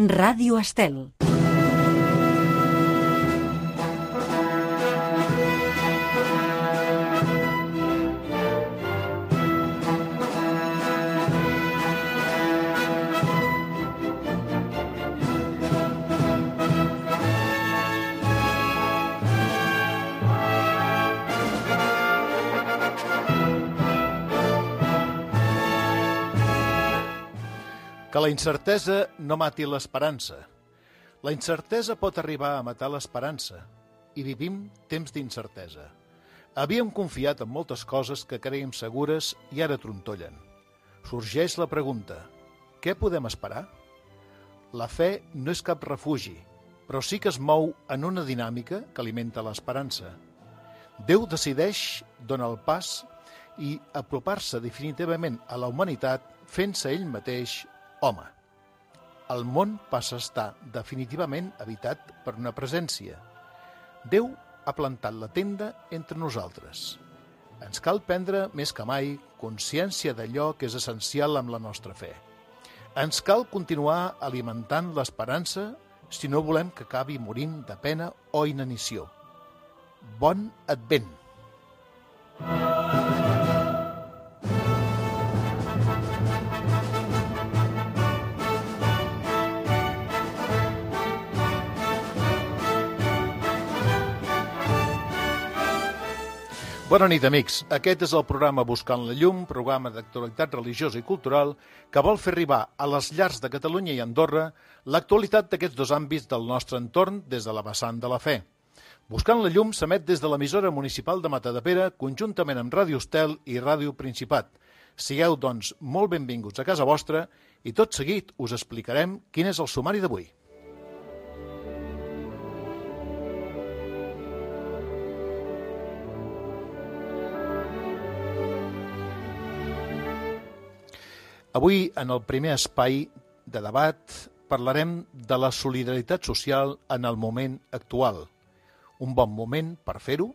Ràdio Estel. Que la incertesa no mati l'esperança. La incertesa pot arribar a matar l'esperança i vivim temps d'incertesa. Havíem confiat en moltes coses que creiem segures i ara trontollen. Sorgeix la pregunta: què podem esperar? La fe no és cap refugi, però sí que es mou en una dinàmica que alimenta l'esperança. Déu decideix donar el pas i apropar-se definitivament a la humanitat fent-se ell mateix home. El món passa a estar definitivament habitat per una presència. Déu ha plantat la tenda entre nosaltres. Ens cal prendre més que mai consciència d'allò que és essencial amb la nostra fe. Ens cal continuar alimentant l'esperança si no volem que acabi morint de pena o inanició. Bon Advent! Bona nit, amics. Aquest és el programa Buscant la Llum, programa d'actualitat religiosa i cultural que vol fer arribar a les llars de Catalunya i Andorra l'actualitat d'aquests dos àmbits del nostre entorn des de la vessant de la fe. Buscant la Llum s'emet des de l'emissora municipal de Matadepera, conjuntament amb Ràdio Estel i Ràdio Principat. Sigueu, doncs, molt benvinguts a casa vostra i tot seguit us explicarem quin és el sumari d'avui. Avui, en el primer espai de debat, parlarem de la solidaritat social en el moment actual. Un bon moment per fer-ho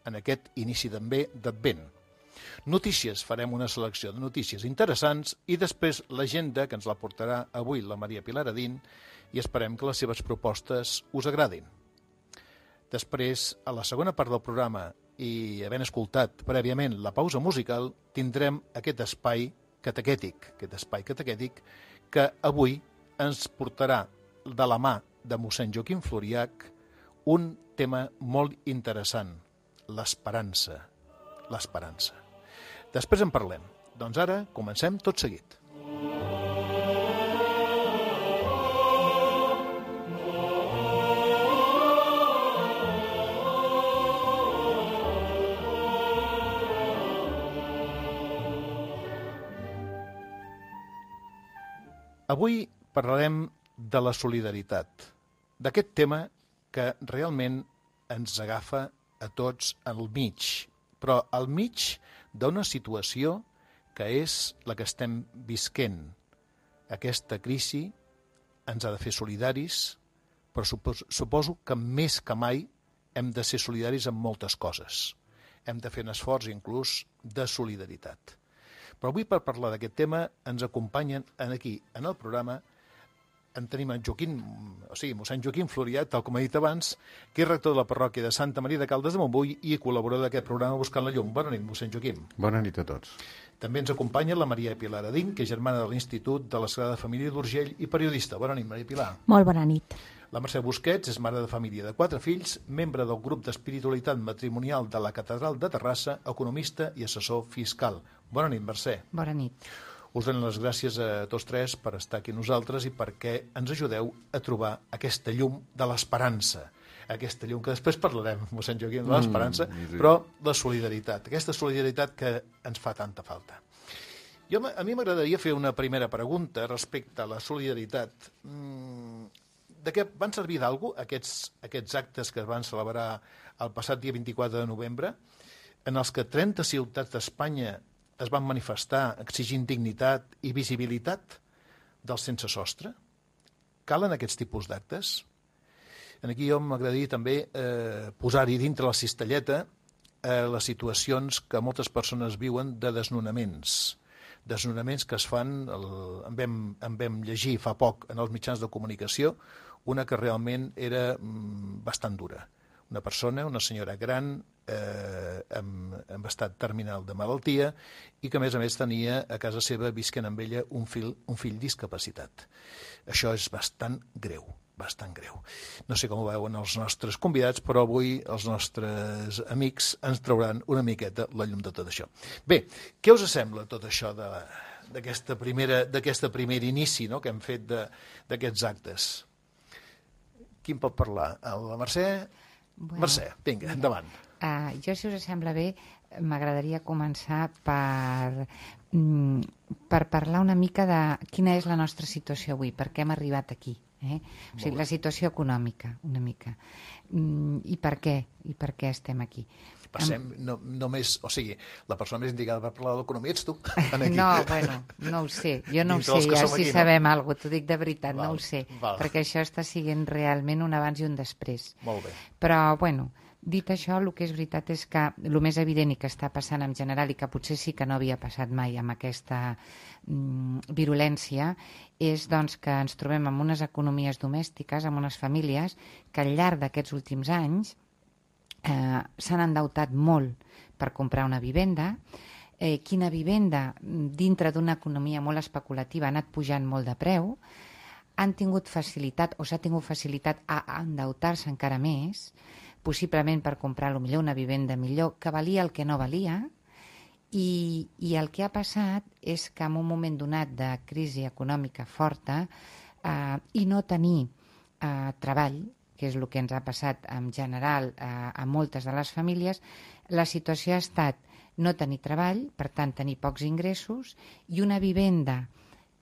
en aquest inici d'Advent. Notícies, farem una selecció de notícies interessants i després l'agenda que ens la portarà avui la Maria Pilar Adín i esperem que les seves propostes us agradin. Després, a la segona part del programa i havent escoltat prèviament la pausa musical, tindrem aquest espai catequètic que avui ens portarà de la mà de mossèn Joaquim Floriach un tema molt interessant, l'esperança. Després en parlem. Doncs ara comencem tot seguit. Avui parlarem de la solidaritat, d'aquest tema que realment ens agafa a tots al mig, però al mig d'una situació que és la que estem visquent. Aquesta crisi ens ha de fer solidaris, però suposo que més que mai hem de ser solidaris amb moltes coses. Hem de fer un esforç inclús de solidaritat. Però avui per parlar d'aquest tema ens acompanyen aquí, en el programa, en tenim en mossèn Joaquim Floriach, tal com he dit abans, que és rector de la parròquia de Santa Maria de Caldes de Montbui i col·laborador d'aquest programa Buscant la Llum. Bona nit, mossèn Joaquim. Bona nit a tots. També ens acompanya la Maria Pilar Adín, que és germana de l'Institut de la Sagrada Família d'Urgell i periodista. Bona nit, Maria Pilar. Molt bona nit. La Mercè Busquets és mare de família de 4 fills, membre del grup d'espiritualitat matrimonial de la Catedral de Terrassa, economista i assessor fiscal. Bona nit, Mercè. Bona nit. Us dono les gràcies a tots tres per estar aquí nosaltres i perquè ens ajudeu a trobar aquesta llum de l'esperança. Aquesta llum que després parlarem, mossèn Joaquim, de l'esperança, però la solidaritat, aquesta solidaritat que ens fa tanta falta. A mi m'agradaria fer una primera pregunta respecte a la solidaritat. De què van servir d'algú aquests actes que es van celebrar el passat dia 24 de novembre, en els que 30 ciutats d'Espanya es van manifestar exigint dignitat i visibilitat dels sense sostre? Calen aquests tipus d'actes? Aquí jo m'agradaria també posar-hi dintre la cistelleta les situacions que moltes persones viuen de desnonaments. desnonaments que es fan, en vam llegir fa poc en els mitjans de comunicació, una que realment era bastant dura. Una persona, una senyora gran, amb estat terminal de malaltia i que, a més, tenia a casa seva, visquent amb ella, un fill discapacitat. Això és bastant greu. No sé com ho veuen els nostres convidats, però avui els nostres amics ens trauran una miqueta la llum de tot això. Bé, què us sembla tot això d'aquest primer inici, no?, que hem fet d'aquests actes? Qui en pot parlar? La Mercè? Bueno, Mercè, vinga, endavant. Jo, si us sembla bé, m'agradaria començar per parlar una mica de quina és la nostra situació avui, per què hem arribat aquí. O sigui, la situació econòmica, una mica. I per què estem aquí. Passem només, o sigui, la persona més indicada per parlar de l'economia ets tu. No, bueno, no ho sé. Jo no ho sé, ja si sabem alguna cosa, t'ho dic de veritat, no ho sé. Perquè això està sent realment un abans i un després. Molt bé. Però, bueno, dit això, el que és veritat és que el més evident i que està passant en general i que potser sí que no havia passat mai amb aquesta virulència és doncs, que ens trobem amb unes economies domèstiques, amb unes famílies que al llarg d'aquests últims anys s'han endeutat molt per comprar una vivenda. Quina vivenda, dintre d'una economia molt especulativa, ha anat pujant molt de preu, han tingut facilitat o s'ha tingut facilitat a endeutar-se encara més, possiblement per comprar potser una vivenda millor, que valia el que no valia, i el que ha passat és que en un moment donat de crisi econòmica forta i no tenir treball, que és el que ens ha passat en general a moltes de les famílies, la situació ha estat no tenir treball, per tant tenir pocs ingressos, i una vivenda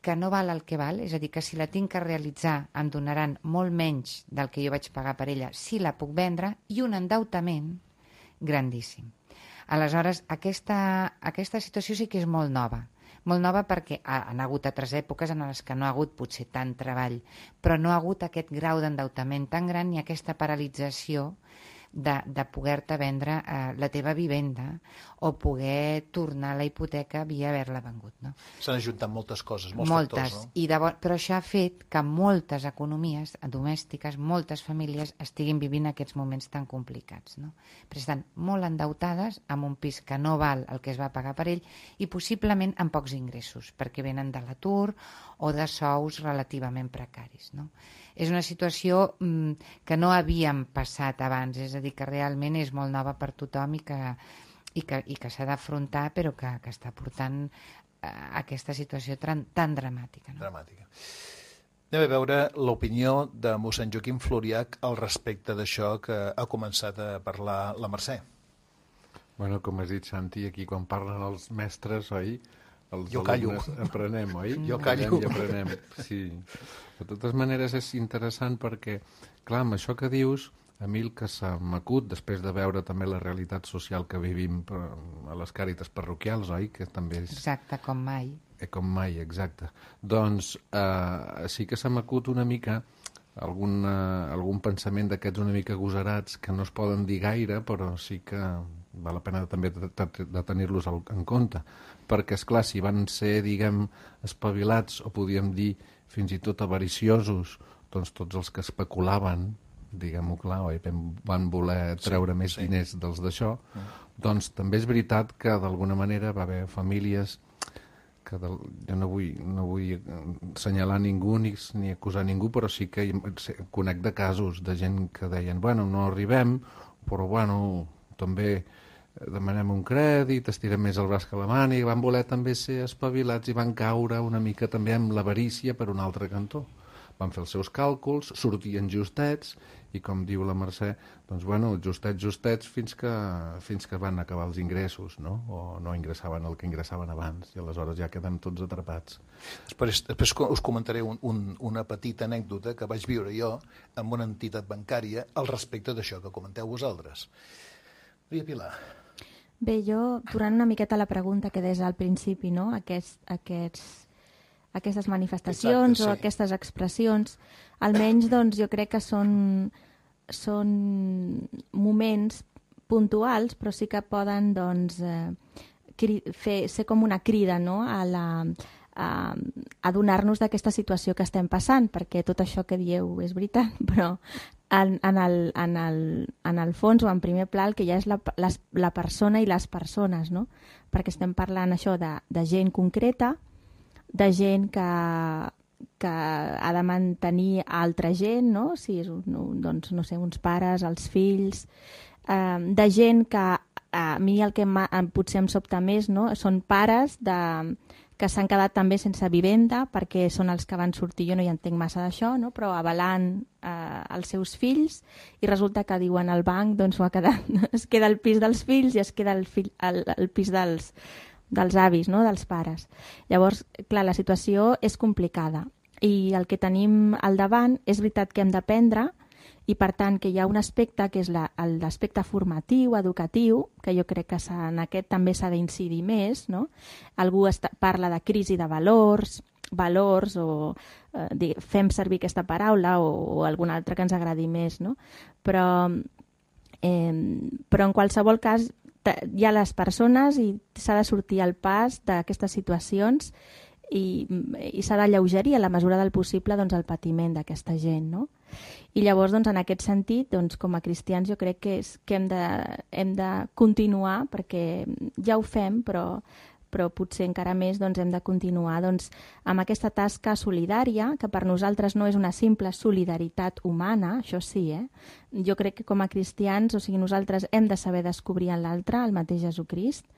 que no val el que val, és a dir, que si la tinc que realitzar em donaran molt menys del que jo vaig pagar per ella si la puc vendre, i un endeutament grandíssim. Aleshores, aquesta situació sí que és molt nova perquè han hagut altres èpoques en les que no ha hagut potser tant treball, però no ha hagut aquest grau d'endeutament tan gran ni aquesta paralització de poder-te vendre la teva vivenda o poder tornar la hipoteca via haver-la vengut. No? S'han ajuntat moltes coses, molts factors. No? Però això ha fet que moltes economies domèstiques, moltes famílies estiguin vivint aquests moments tan complicats. No? Però estan molt endeutades amb un pis que no val el que es va pagar per ell i possiblement amb pocs ingressos, perquè venen de l'atur o de sous relativament precaris. No? És una situació que no havíem passat abans, és a dir, que realment és molt nova per tothom i que s'ha d'afrontar, però que està portant aquesta situació tan dramàtica. No? Dramàtica. Anem a veure l'opinió de mossèn Joaquim Floriach al respecte d'això que ha començat a parlar la Mercè. Bueno, com has dit, Santi, aquí quan parlen els mestres, oi? Els jo callo. Aprenem, oi? Jo callo. I aprenem, sí. De totes maneres és interessant perquè, clar, amb això que dius, a mi el que se m'acut, després de veure també la realitat social que vivim a les càritas parroquials, oi? Que també és... Exacte, com mai. Com mai, exacte. Doncs sí que se m'acut una mica algun pensament d'aquests una mica agosarats que no es poden dir gaire, però sí que val la pena també de tenir-los en compte. Perquè, esclar, si van ser, diguem, espavilats, o podíem dir fins i tot avariciosos, doncs tots els que especulaven, diguem-ho clar, oi? Van voler treure més diners dels d'això, doncs també és veritat que d'alguna manera va haver famílies que jo no vull assenyalar ningú ni acusar ningú, però sí que conec de casos de gent que deien, bueno, no arribem, però bueno, també demanem un crèdit, estirem més el braç que la màniga, i van voler també ser espavilats i van caure una mica també amb l'avarícia per un altre cantó. Van fer els seus càlculs, sortien justets, i com diu la Mercè, doncs bueno, justets fins que van acabar els ingressos, no? O no ingressaven el que ingressaven abans, i aleshores ja queden tots atrapats. Després us comentaré una petita anècdota que vaig viure jo amb una entitat bancària al respecte d'això que comenteu vosaltres. Maria Pilar. Bé, jo, tornant una miqueta a la pregunta que deies al principi, no? Aquestes manifestacions. Exacte, sí. O aquestes expressions, almenys doncs, jo crec que són moments puntuals, però sí que poden doncs, ser com una crida, no?, a donar-nos d'aquesta situació que estem passant, perquè tot això que dieu és veritat, però en el fons o en primer pla el que hi ha és la persona i les persones, no? Perquè estem parlant això de gent concreta, de gent que ha de mantenir altra gent, no? Si és doncs, no sé, uns pares, els fills, de gent que a mi el que potser em sobta més, no?, són pares que s'han quedat també sense vivenda perquè són els que van sortir, jo no hi entenc massa d'això, no?, però avalant els seus fills, i resulta que diuen al banc doncs es queda el pis dels fills i es queda el pis dels avis, no?, dels pares. Llavors, clar, la situació és complicada i el que tenim al davant és veritat que hem d'aprendre, i per tant que hi ha un aspecte que és l'aspecte formatiu, educatiu, que jo crec que en aquest també s'ha d'incidir més, no? Algú parla de crisi de valors o fem servir aquesta paraula o alguna altra que ens agradi més, no? Però en qualsevol cas hi ha les persones i s'ha de sortir al pas d'aquestes situacions i s'ha d'alleugerir a la mesura del possible doncs, el patiment d'aquesta gent, no? I llavors, doncs, en aquest sentit, doncs, com a cristians, jo crec que hem de continuar, perquè ja ho fem, però potser encara més doncs, hem de continuar doncs, amb aquesta tasca solidària, que per nosaltres no és una simple solidaritat humana, això sí, jo crec que com a cristians, o sigui, nosaltres hem de saber descobrir en l'altre el mateix Jesucrist.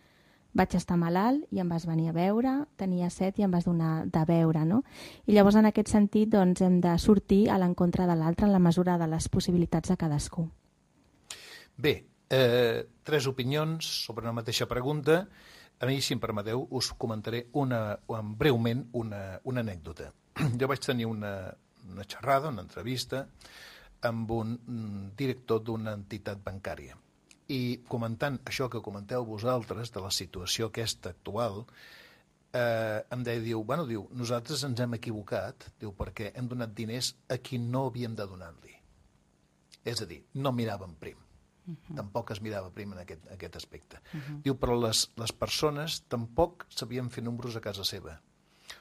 Vaig estar malalt i em vas venir a veure, tenia set i em vas donar de beure, no? I llavors, en aquest sentit, doncs, hem de sortir a l'encontre de l'altre en la mesura de les possibilitats de cadascú. Bé, 3 opinions sobre una mateixa pregunta. A mi, si em permeteu, us comentaré breument una anècdota. Jo vaig tenir una xerrada, una entrevista, amb un director d'una entitat bancària. I comentant això que comenteu vosaltres, de la situació aquesta actual, em deia, diu, nosaltres ens hem equivocat, diu, perquè hem donat diners a qui no havíem de donar-li. És a dir, no miràvem prim. Tampoc es mirava prim en aquest aspecte. Diu, però les persones tampoc sabien fer números a casa seva.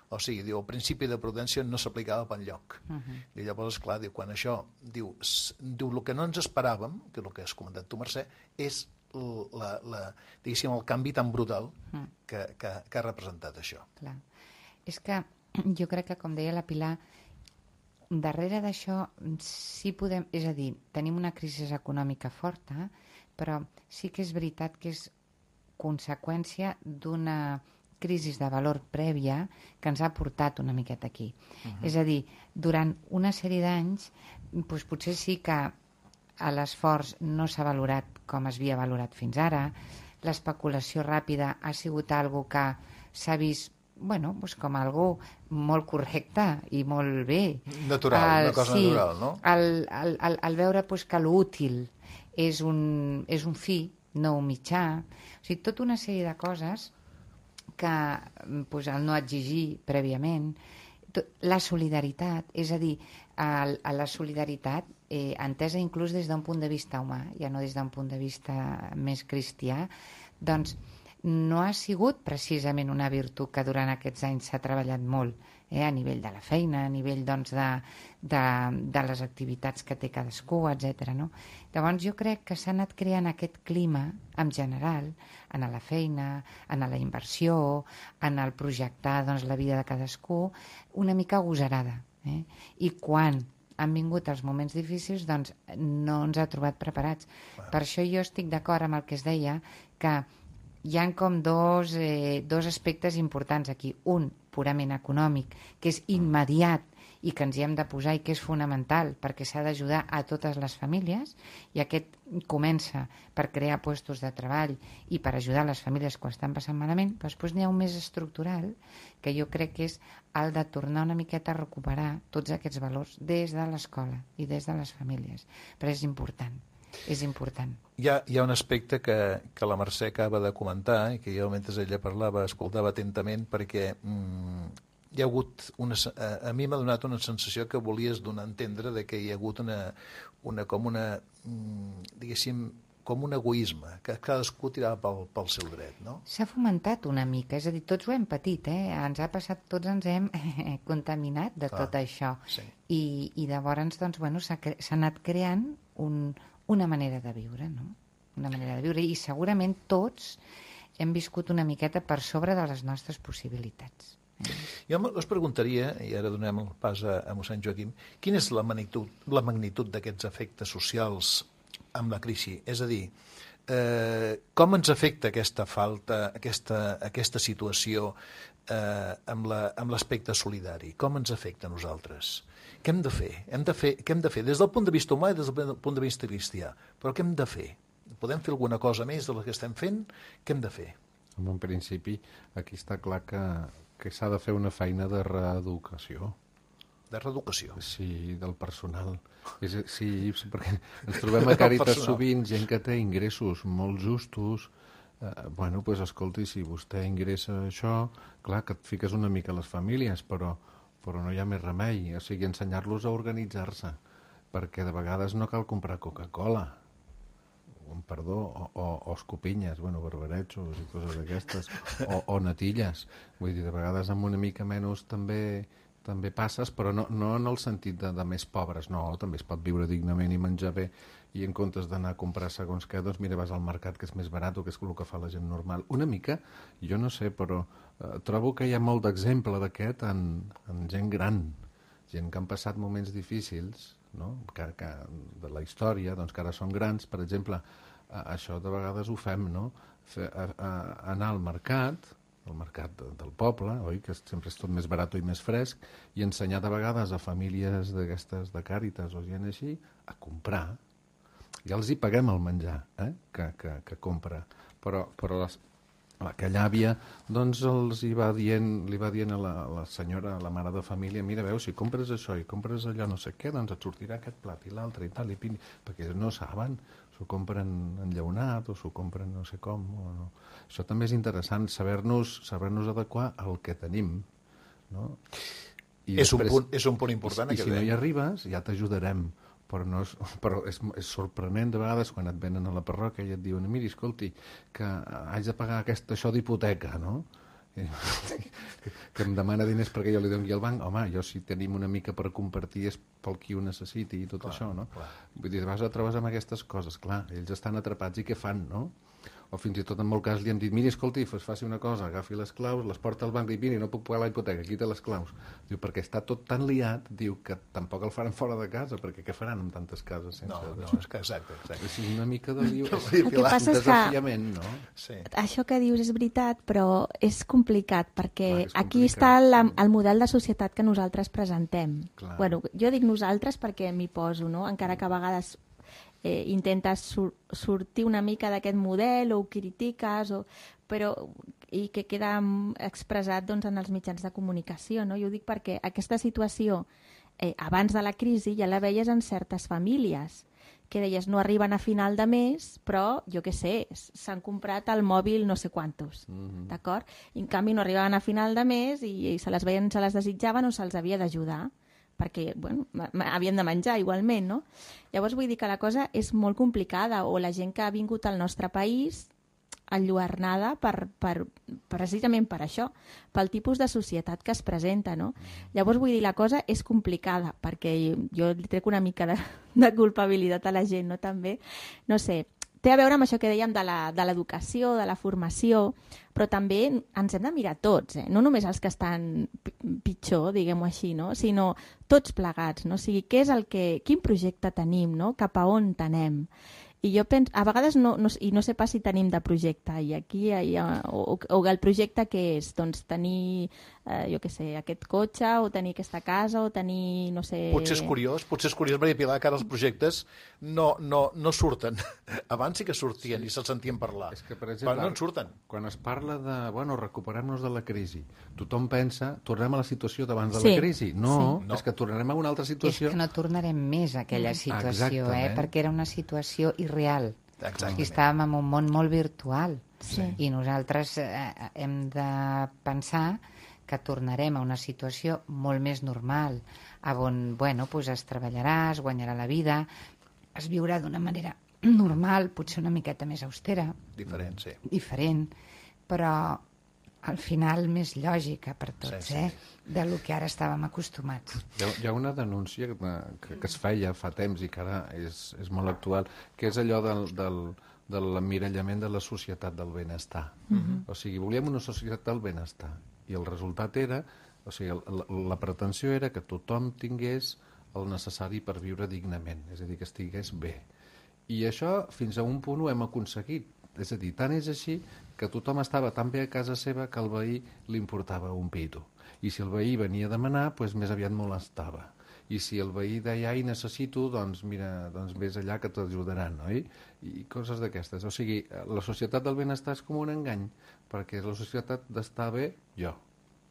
O sigui, diu, el principi de prudència no s'aplicava per enlloc. I llavors, clar, diu, quan això, diu, el que no ens esperàvem, que és el que has comentat tu, Mercè, és diguéssim, el canvi tan brutal que ha representat això. Clar. És que jo crec que, com deia la Pilar, darrere d'això sí podem, és a dir, tenim una crisi econòmica forta, però sí que és veritat que és conseqüència d'una crisi de valor prèvia que ens ha portat una miqueta aquí. És a dir, durant una sèrie d'anys, doncs potser sí que l'esforç no s'ha valorat com es havia valorat fins ara, l'especulació ràpida ha sigut algo que s'ha vist doncs com algo molt correcte i molt bé. Natural, una cosa natural, no? El veure que l'útil és un fi, no un mitjà. O sigui, tota una sèrie de coses que el no exigir prèviament, la solidaritat, és a dir, la solidaritat entesa inclús des d'un punt de vista humà, ja no des d'un punt de vista més cristià, doncs no ha sigut precisament una virtut que durant aquests anys s'ha treballat molt, a nivell de la feina, a nivell doncs, de les activitats que té cadascú, etc. No? Llavors jo crec que s'ha anat creant aquest clima en general, en la feina, en la inversió, en el projectar doncs, la vida de cadascú, una mica agosarada. I quan han vingut els moments difícils, doncs no ens ha trobat preparats. Per això jo estic d'acord amb el que es deia, que hi ha com dos aspectes importants aquí. Un, purament econòmic, que és immediat i que ens hi hem de posar i que és fonamental perquè s'ha d'ajudar a totes les famílies, i aquest comença per crear llocs de treball i per ajudar les famílies quan estan passant malament, però després n'hi ha un més estructural que jo crec que és el de tornar una miqueta a recuperar tots aquests valors des de l'escola i des de les famílies, però és important. És important. Hi ha un aspecte que la Mercè acaba de comentar i que jo, mentre ella parlava, escoltava atentament, perquè hi ha hagut a mi m'ha donat una sensació que volies donar a entendre de que hi ha hagut diguéssim, com un egoisme, que cadascú tirava pel seu dret, no? S'ha fomentat una mica, és a dir, tots ho hem patit, ens ha passat, tots ens hem contaminat de tot això. Sí. I llavors, doncs, bueno, s'ha anat creant una manera de viure, no? Una manera de viure, i segurament tots hem viscut una miqueta per sobre de les nostres possibilitats. Jo us preguntaria, i ara donem el pas a mossèn Joaquim, quina és la magnitud d'aquests efectes socials amb la crisi? És a dir, com ens afecta aquesta falta, aquesta situació amb l'aspecte solidari? Com ens afecta a nosaltres? Què hem de fer? Què hem de fer? Des del punt de vista humà i des del punt de vista cristià. Però què hem de fer? Podem fer alguna cosa més de la que estem fent? Què hem de fer? En principi, aquí està clar que s'ha de fer una feina de reeducació. De reeducació? Sí, del personal. Sí, perquè ens trobem a Càritas sovint gent que té ingressos molt justos. Bueno, doncs escolti, si vostè ingressa això, clar que et fiques una mica a les famílies, però no hi ha més remei. O sigui, ensenyar-los a organitzar-se, perquè de vegades no cal comprar Coca-Cola, o escopinyes, barbarejos i coses d'aquestes, o natilles. Vull dir, de vegades amb una mica menys també passes, però no en el sentit de més pobres, no, també es pot viure dignament i menjar bé, i en comptes d'anar a comprar segons què, doncs mira, vas al mercat, que és més barat, o que és el que fa la gent normal. Una mica, jo no sé, però trobo que hi ha molt d'exemple d'aquest en gent gran, gent que han passat moments difícils, no? que de la història, doncs, que ara són grans. Per exemple, això de vegades ho fem, no? Anar al mercat del poble, oi? Que sempre és tot més barat i més fresc, i ensenyar de vegades a famílies d'aquestes de Càritas o gent així a comprar. Ja els hi paguem el menjar que compra, però aquella àvia doncs li va dient a la senyora, a la mare de família, mira, veus, si compres això i compres allò no sé què, doncs et sortirà aquest plat i l'altre i tal, perquè no saben, s'ho compren enllaunat o s'ho compren no sé com. No. Això també és interessant, saber-nos adequar al que tenim, no? És un punt important. I si no hi arribes, ja t'ajudarem. Però és sorprenent de vegades quan et venen a la parròquia i et diuen, miri, escolti, que haig de pagar això d'hipoteca, no? Que em demana diners perquè jo li doni al banc. Home, si tenim una mica per compartir és pel qui ho necessiti i tot això, no? Clar. Vull dir, vas a trobes amb aquestes coses, clar, ells estan atrapats i què fan, no? O fins i tot en molt cas li hem dit, miri, escolti, faci una cosa, agafi les claus, les porta al banc i miri, no puc pagar la hipoteca, aquí té les claus. Diu, perquè està tot tan liat, diu que tampoc el faran fora de casa, perquè què faran amb tantes cases sense... No, és que exacte. És una mica de liu, el que passa és desafiament, no? Sí. Això que dius és veritat, però és complicat, perquè aquí està el model de societat que nosaltres presentem. Clar. Bueno, jo dic nosaltres perquè m'hi poso, no? Encara que a vegades intentes sortir una mica d'aquest model o ho critiques, i que queda expressat doncs, en els mitjans de comunicació. No? Jo ho dic perquè aquesta situació, abans de la crisi, ja la veies en certes famílies, que deies no arriben a final de mes, però, jo què sé, s'han comprat el mòbil no sé quantos, d'acord? I en canvi no arribaven a final de mes i se les desitjaven o se'ls havia d'ajudar, perquè havien de menjar igualment, no? Llavors vull dir que la cosa és molt complicada, o la gent que ha vingut al nostre país enlluernada precisament per això, pel tipus de societat que es presenta, no? Llavors vull dir, la cosa és complicada, perquè jo li trec una mica de culpabilitat a la gent, no? També, no sé, té a veure amb això que dèiem de l'educació, de la formació, però també ens hem de mirar tots, no només els que estan pitjor, diguem-ho així, no? Sinó tots plegats, no? O sigui, quin projecte tenim, no? Cap a on anem? I jo penso, a vegades no sé pas si tenim de projecte, i aquí o el projecte que és, doncs tenir, jo què sé, aquest cotxe, o tenir aquesta casa, o tenir, no sé... Potser és curiós, Maria Pilar, que ara els projectes no surten. Abans sí que sortien i se'ls sentien parlar, és que, per exemple, però no en surten. Quan es parla de, recuperar-nos de la crisi, tothom pensa, tornem a la situació d'abans de la crisi. No, és que tornarem a una altra situació. És que no tornarem més a aquella situació, perquè era una situació irreal. Exactament. I estàvem en un món molt virtual. Sí. I nosaltres hem de pensar que tornarem a una situació molt més normal, on es treballarà, es guanyarà la vida, es viurà d'una manera normal, potser una miqueta més austera, Diferent, sí. diferent, però al final més lògica per tots, de lo que ara estàvem acostumats. Hi ha una denúncia que es feia fa temps i que ara és molt actual, que és allò de l'emmirallament de la societat del benestar. O sigui, volíem una societat del benestar i el resultat era, o sigui, la pretensió era que tothom tingués el necessari per viure dignament, és a dir, que estigués bé. I això fins a un punt ho hem aconseguit. És a dir, tant és així que tothom estava tan bé a casa seva que al veí li importava un pito. I si el veí venia a demanar, doncs més aviat molestava. I si el veí deia, ai, necessito, doncs mira, doncs vés allà que t'ajudaran, oi? I coses d'aquestes. O sigui, la societat del benestar és com un engany, perquè és la societat d'estar bé jo.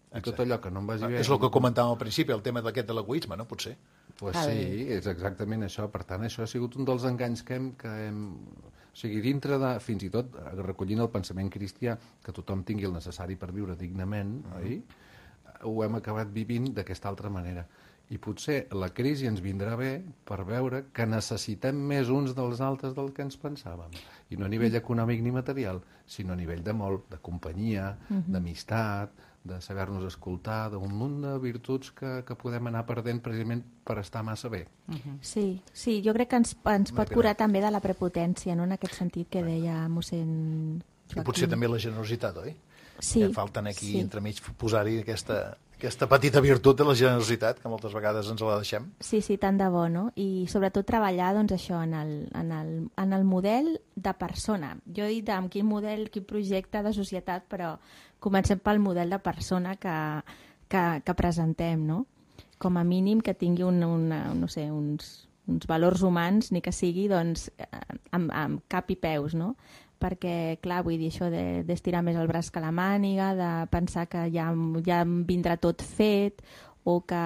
I tot allò que no em vagi bé... És el que comentàvem al principi, el tema d'aquest de l'egoisme, no? Potser. Pues sí, és exactament això. Per tant, això ha sigut un dels enganys que hem... O sigui, dintre de, fins i tot, recollint el pensament cristià, que tothom tingui el necessari per viure dignament, oi? Ho hem acabat vivint d'aquesta altra manera. I potser la crisi ens vindrà bé per veure que necessitem més uns dels altres del que ens pensàvem. I no a nivell econòmic ni material, sinó a nivell de molt, de companyia, d'amistat, de saber-nos escoltar, d'un munt de virtuts que podem anar perdent precisament per estar massa bé. Sí, jo crec que ens pot curar també de la prepotència, no? En aquest sentit que deia mossèn Joaquim. I potser també la generositat, oi? Sí. Falten aquí entremig posar-hi aquesta petita virtut de la generositat, que moltes vegades ens la deixem. Sí, tant de bo, no? I sobretot treballar, doncs, això, en el model de persona. Jo he dit amb quin model, quin projecte de societat, però comencem pel model de persona que presentem, no? Com a mínim que tingui uns valors humans, ni que sigui, doncs, amb cap i peus, no? Perquè, clar, vull dir, això d'estirar més el braç que la màniga, de pensar que ja em vindrà tot fet, o que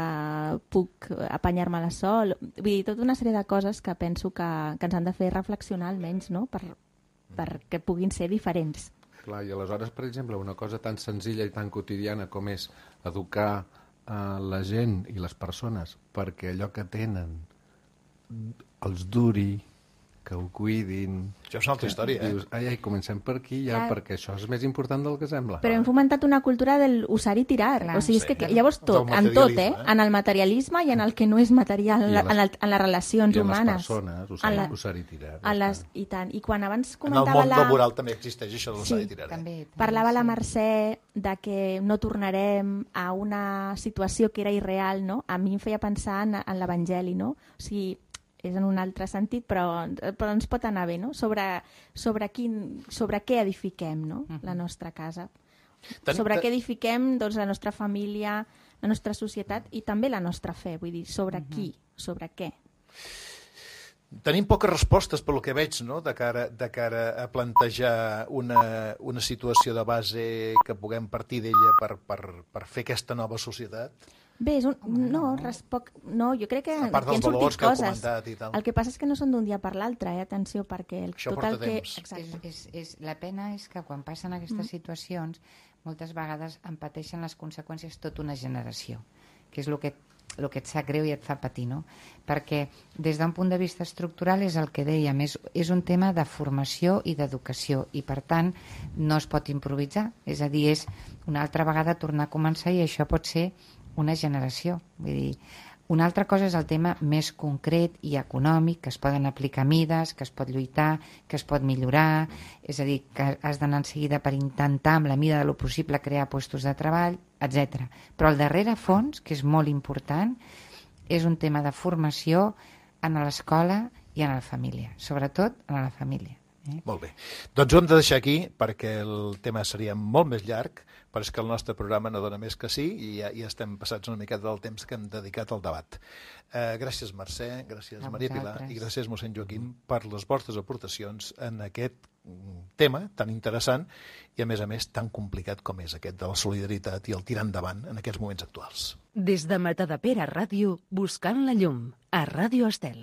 puc apanyar-me-la sol. Vull dir, tota una sèrie de coses que penso que ens han de fer reflexionar almenys, no? Perquè puguin ser diferents. Clar, i aleshores, per exemple, una cosa tan senzilla i tan quotidiana com és educar la gent i les persones perquè allò que tenen els duri, que ho cuidin... Això és una altra història, dius, ai, comencem per aquí ja, perquè això és més important del que sembla. Però hem fomentat una cultura del usar i tirar. Clar, o sigui, és que llavors tot, en tot, en el materialisme i en el que no és material, en les relacions humanes. I en les persones, usar i tirar. I tant. I quan abans en el món laboral també existeix això de l'usar i tirar. També, parlava la Mercè de que no tornarem a una situació que era irreal, no? A mi em feia pensar en l'Evangeli, no? O sigui, és en un altre sentit, però ens pot anar bé, no? Sobre què edifiquem, no? La nostra casa. Sobre què edifiquem, doncs, la nostra família, la nostra societat i també la nostra fe. Vull dir, sobre qui, sobre què. Tenim poques respostes, pel que veig, no? de cara a plantejar una situació de base que puguem partir d'ella per fer aquesta nova societat. Bé, no, jo crec que a part dels valors que heu comentat i tal. El que passa és que no són d'un dia per l'altre, atenció, perquè això porta temps. La pena és que quan passen aquestes situacions moltes vegades en pateixen les conseqüències tota una generació, que és el que et sap greu i et fa patir, no? Perquè des d'un punt de vista estructural és el que dèiem, és un tema de formació i d'educació i per tant no es pot improvisar, és a dir, és una altra vegada tornar a començar i això pot ser una generació. Vull dir, una altra cosa és el tema més concret i econòmic, que es poden aplicar mides, que es pot lluitar, que es pot millorar, és a dir, que has d'anar en seguida per intentar, amb la mida de lo possible, crear llocs de treball, etc. Però el darrere fons, que és molt important, és un tema de formació en l'escola i en la família, sobretot en la família. Molt bé. Doncs ho hem de deixar aquí perquè el tema seria molt més llarg, però és que el nostre programa no dona més que sí i ja estem passats una miqueta del temps que hem dedicat al debat. Gràcies, Mercè, gràcies, Maria Pilar, i gràcies, mossèn Joaquim, per les vostres aportacions en aquest tema tan interessant i, a més, tan complicat com és aquest de la solidaritat i el tirar endavant en aquests moments actuals. Des de Matadepera Ràdio, buscant la llum, a Ràdio Estel.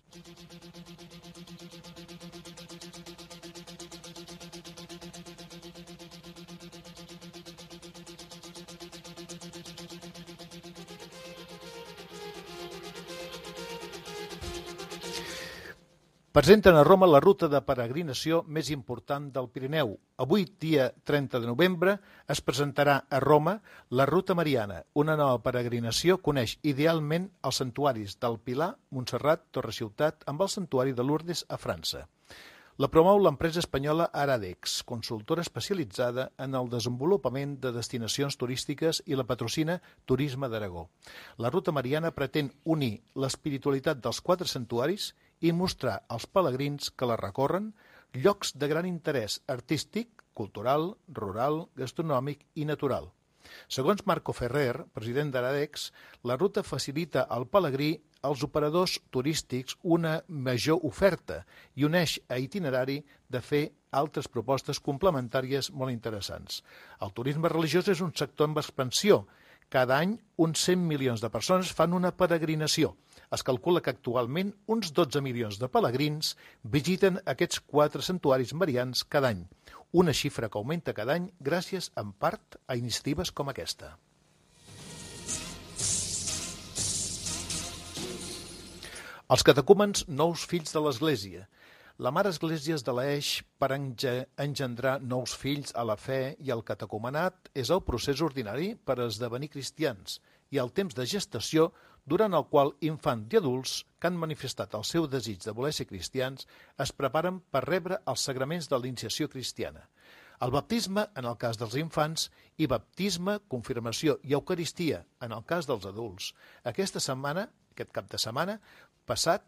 Presenten a Roma la ruta de peregrinació més important del Pirineu. Avui, dia 30 de novembre, es presentarà a Roma la Ruta Mariana. Una nova peregrinació que uneix idealment els santuaris del Pilar, Montserrat, Torre-Ciutat, amb el santuari de Lourdes a França. La promou l'empresa espanyola Aradex, consultora especialitzada en el desenvolupament de destinacions turístiques i la patrocina Turisme d'Aragó. La Ruta Mariana pretén unir l'espiritualitat dels 4 santuaris i mostrar als pelegrins que la recorren llocs de gran interès artístic, cultural, rural, gastronòmic i natural. Segons Marco Ferrer, president d'Aradex, la ruta facilita al pelegrí als operadors turístics una major oferta i uneix a itinerari de fer altres propostes complementàries molt interessants. El turisme religiós és un sector en expansió. Cada any, uns 100 milions de persones fan una peregrinació. Es calcula que actualment uns 12 milions de pelegrins visiten aquests 4 santuaris marians cada any. Una xifra que augmenta cada any gràcies, en part, a iniciatives com aquesta. Els catecúmens, nous fills de l'Església. La Mare Església es deleeix per engendrar nous fills a la fe i el catecumenat és el procés ordinari per esdevenir cristians i el temps de gestació durant el qual infants i adults que han manifestat el seu desig de voler ser cristians es preparen per rebre els sagraments de l'iniciació cristiana. El baptisme, en el cas dels infants, i baptisme, confirmació i eucaristia, en el cas dels adults. Aquest cap de setmana passat,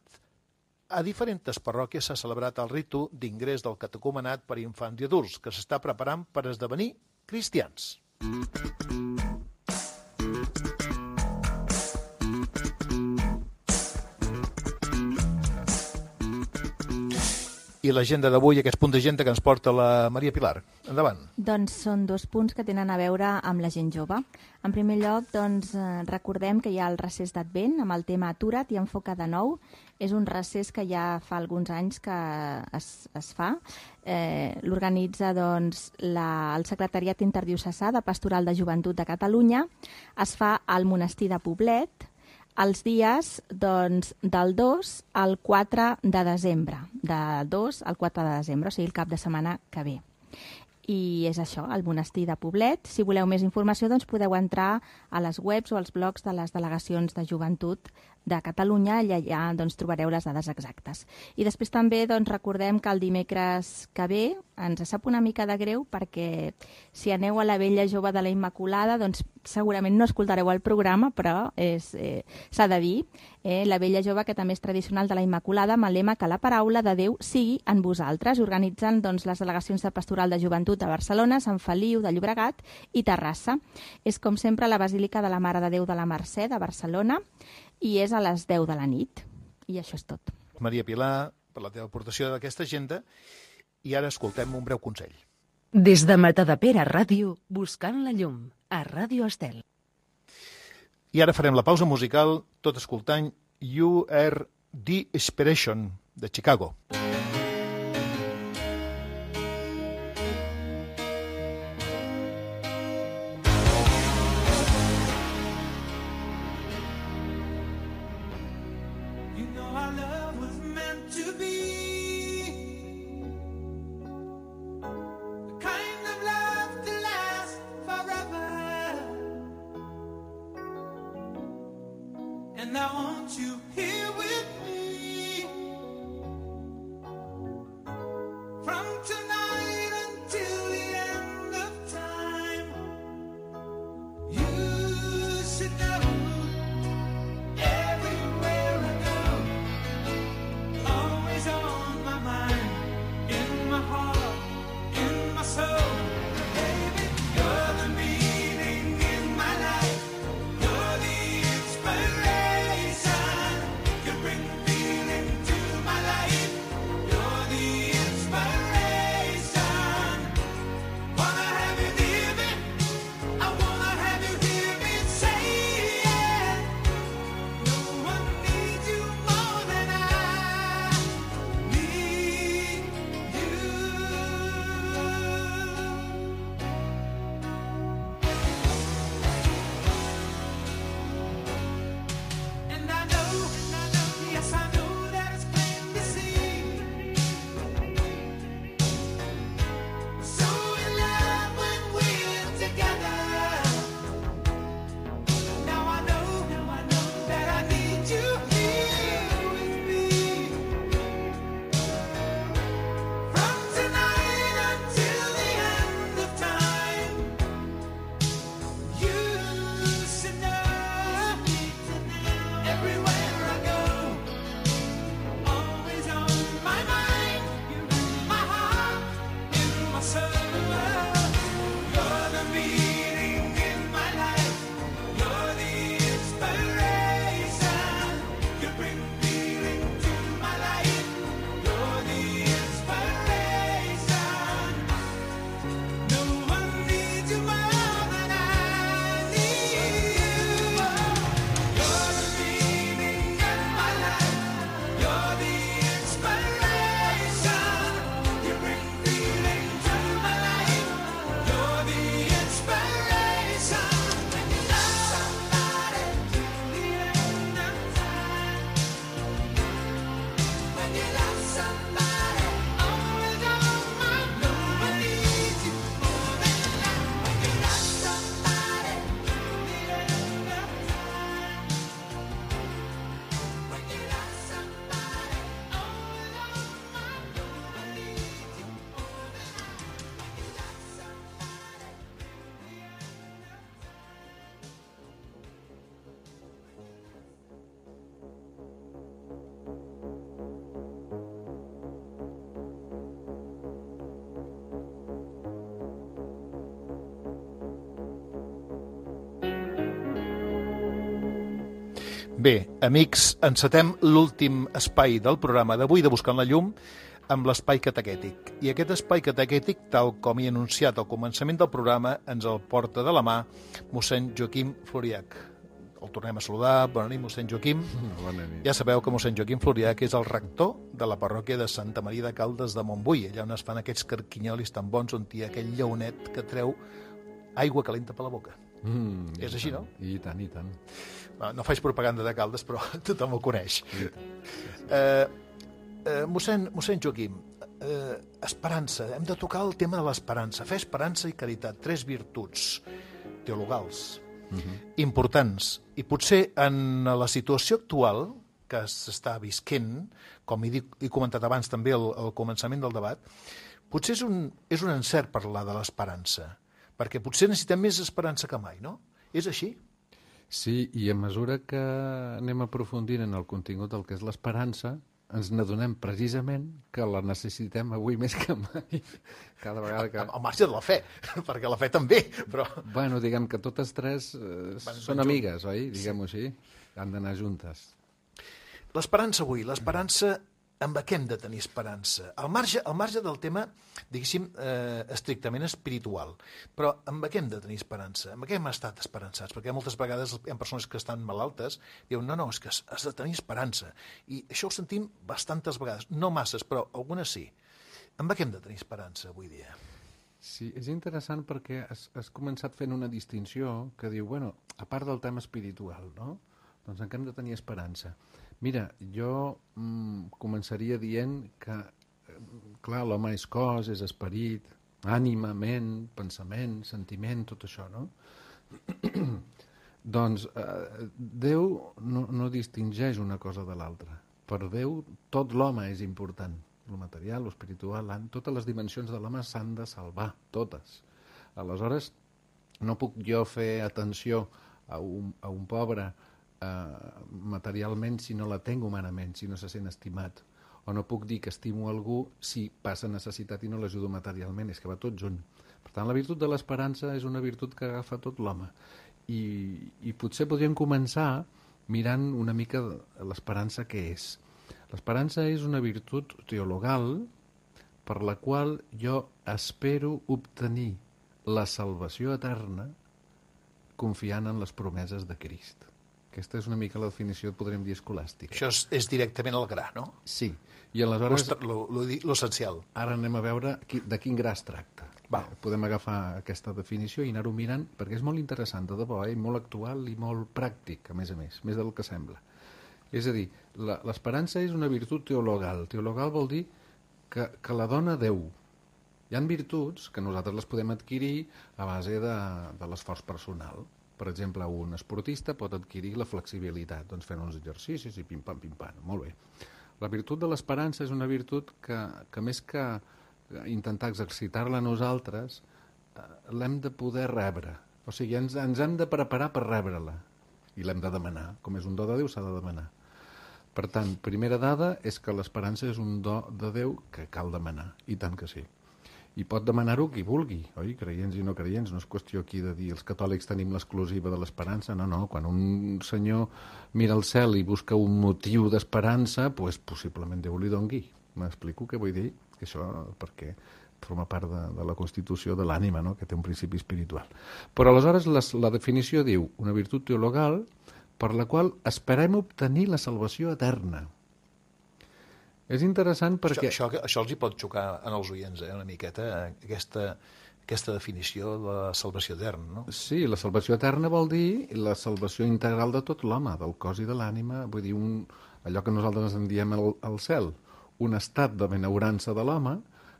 a diferents parròquies s'ha celebrat el ritu d'ingrés del catecumenat per infants i adults, que s'està preparant per esdevenir cristians. I l'agenda d'avui, aquest punt d'agenda que ens porta la Maria Pilar. Endavant. Doncs són 2 punts que tenen a veure amb la gent jove. En primer lloc, recordem que hi ha el recés d'Advent amb el tema Atura't i enfoca de nou. És un recés que ja fa alguns anys que es fa. L'organitza el Secretariat Interdiocesà de Pastoral de Joventut de Catalunya. Es fa al monestir de Poblet, els dies del 2 al 4 de desembre, del 2 al 4 de desembre, o sigui el cap de setmana que ve. I és això, el monestir de Poblet. Si voleu més informació, podeu entrar a les webs o als blogs de les delegacions de joventut de Catalunya i allà trobareu les dades exactes. I després també recordem que el dimecres que ve ens sap una mica de greu perquè si aneu a la Vella Jove de la Immaculada segurament no escoltareu el programa, però s'ha de dir, la Vella Jove, que també és tradicional de la Immaculada, amb el lema que la paraula de Déu sigui en vosaltres. Organitzen les delegacions de Pastoral de Joventut de Barcelona, Sant Feliu de Llobregat i Terrassa. És com sempre la Basílica de la Mare de Déu de la Mercè de Barcelona i és a les 10 de la nit. I això és tot. Maria Pilar, per la teva aportació d'aquesta agenda. I ara escoltem un breu consell. Des de Matadepera Ràdio, buscant la llum, a Ràdio Estel. I ara farem la pausa musical, tot escoltant You Are The Inspiration, de Chicago. And I want you here with me. From tonight until the end of time. You should know everywhere I go, always on my mind, in my heart, in my soul. Baby, you're the meaning in my life. You're the inspiration. Bé, amics, encetem l'últim espai del programa d'avui de Buscant la Llum amb l'espai catequètic. I aquest espai catequètic, tal com he anunciat al començament del programa, ens el porta de la mà mossèn Joaquim Floriach. El tornem a saludar. Bona nit, mossèn Joaquim. Bona nit. Ja sabeu que mossèn Joaquim Floriach és el rector de la parròquia de Santa Maria de Caldes de Montbui, allà on es fan aquests carquinyolis tan bons, on hi ha aquell lleonet que treu aigua calenta per la boca. És així, no? I tant, i tant. No faig propaganda de Caldes, però tothom ho coneix. Mossèn Joaquim, esperança. Hem de tocar el tema de l'esperança. Fer esperança i caritat, 3 virtuts teologals importants. I potser en la situació actual que s'està visquent, com he comentat abans també al començament del debat, potser és un encert parlar de l'esperança, perquè potser necessitem més esperança que mai, no? És així? Sí, i a mesura que anem aprofundint en el contingut del que és l'esperança, ens n'adonem precisament que la necessitem avui més que mai. Cada vegada que... Al marge de la fe, perquè la fe també, però... Bueno, diguem que totes tres són amigues, oi? Diguem-ho així. Han d'anar juntes. L'esperança avui, l'esperança... Amb què hem de tenir esperança? Al marge del tema, diguéssim, estrictament espiritual. Però amb què hem de tenir esperança? Amb què hem estat esperançats? Perquè moltes vegades hi ha persones que estan malaltes i diuen, no, és que has de tenir esperança. I això ho sentim bastantes vegades. No masses, però algunes sí. Amb què hem de tenir esperança avui dia? Sí, és interessant perquè has començat fent una distinció que diu, bueno, a part del tema espiritual, no? Doncs en què hem de tenir esperança? Mira, jo començaria dient que, clar, l'home és cos, és esperit, ànima, ment, pensament, sentiment, tot això, no? Doncs Déu no distingeix una cosa de l'altra. Per Déu tot l'home és important. El material, l'espiritual, totes les dimensions de l'home s'han de salvar, totes. Aleshores, no puc jo fer atenció a un pobre materialment si no la tenc humanament, si no se sent estimat. O no puc dir que estimo algú si passa necessitat i no l'ajudo materialment, és que va tot junt. Per tant, la virtut de l'esperança és una virtut que agafa tot l'home. I potser podríem començar mirant una mica l'esperança què és. L'esperança és una virtut teologal per la qual jo espero obtenir la salvació eterna confiant en les promeses de Crist. Aquesta és una mica la definició, podríem dir, escolàstica. Això és directament al gra, no? Sí. I aleshores... L'essencial. Ara anem a veure de quin gra es tracta. Podem agafar aquesta definició i anar-ho mirant, perquè és molt interessant, de debò, molt actual i molt pràctic, a més més del que sembla. És a dir, l'esperança és una virtut teologal. Teologal vol dir que la dona Déu. Hi ha virtuts que nosaltres les podem adquirir a base de l'esforç personal. Per exemple, un esportista pot adquirir la flexibilitat, doncs fent uns exercicis i pim-pam, molt bé. La virtut de l'esperança és una virtut que més que intentar exercitar-la a nosaltres, l'hem de poder rebre. O sigui, ens hem de preparar per rebre-la i l'hem de demanar. Com és un do de Déu, s'ha de demanar. Per tant, primera dada és que l'esperança és un do de Déu que cal demanar, i tant que sí. I pot demanar-ho qui vulgui, oi? Creients i no creients. No és qüestió aquí de dir els catòlics tenim l'exclusiva de l'esperança. No. Quan un senyor mira al cel i busca un motiu d'esperança, doncs possiblement Déu li dongui. M'explico què vull dir? Que això perquè forma part de la constitució de l'ànima, no? Que té un principi espiritual. Però aleshores la definició diu una virtut teologal per la qual esperem obtenir la salvació eterna. És interessant perquè... Això els hi pot xocar en els oients, una miqueta, aquesta definició de la salvació eterna, no? Sí, la salvació eterna vol dir la salvació integral de tot l'home, del cos i de l'ànima, vull dir, allò que nosaltres en diem el cel, un estat de benaurança de l'home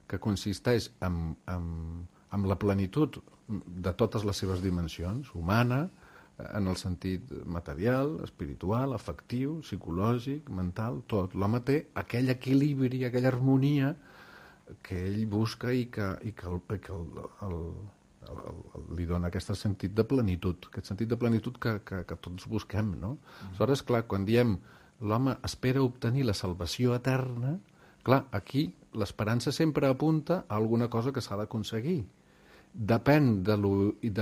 que consisteix en la plenitud de totes les seves dimensions, humana, en el sentit material, espiritual, afectiu, psicològic, mental, tot. L'home té aquell equilibri, aquella harmonia que ell busca i que li dona aquest sentit de plenitud, que tots busquem, no? Aleshores, clar, quan diem l'home espera obtenir la salvació eterna, clar, aquí l'esperança sempre apunta a alguna cosa que s'ha d'aconseguir. Depèn de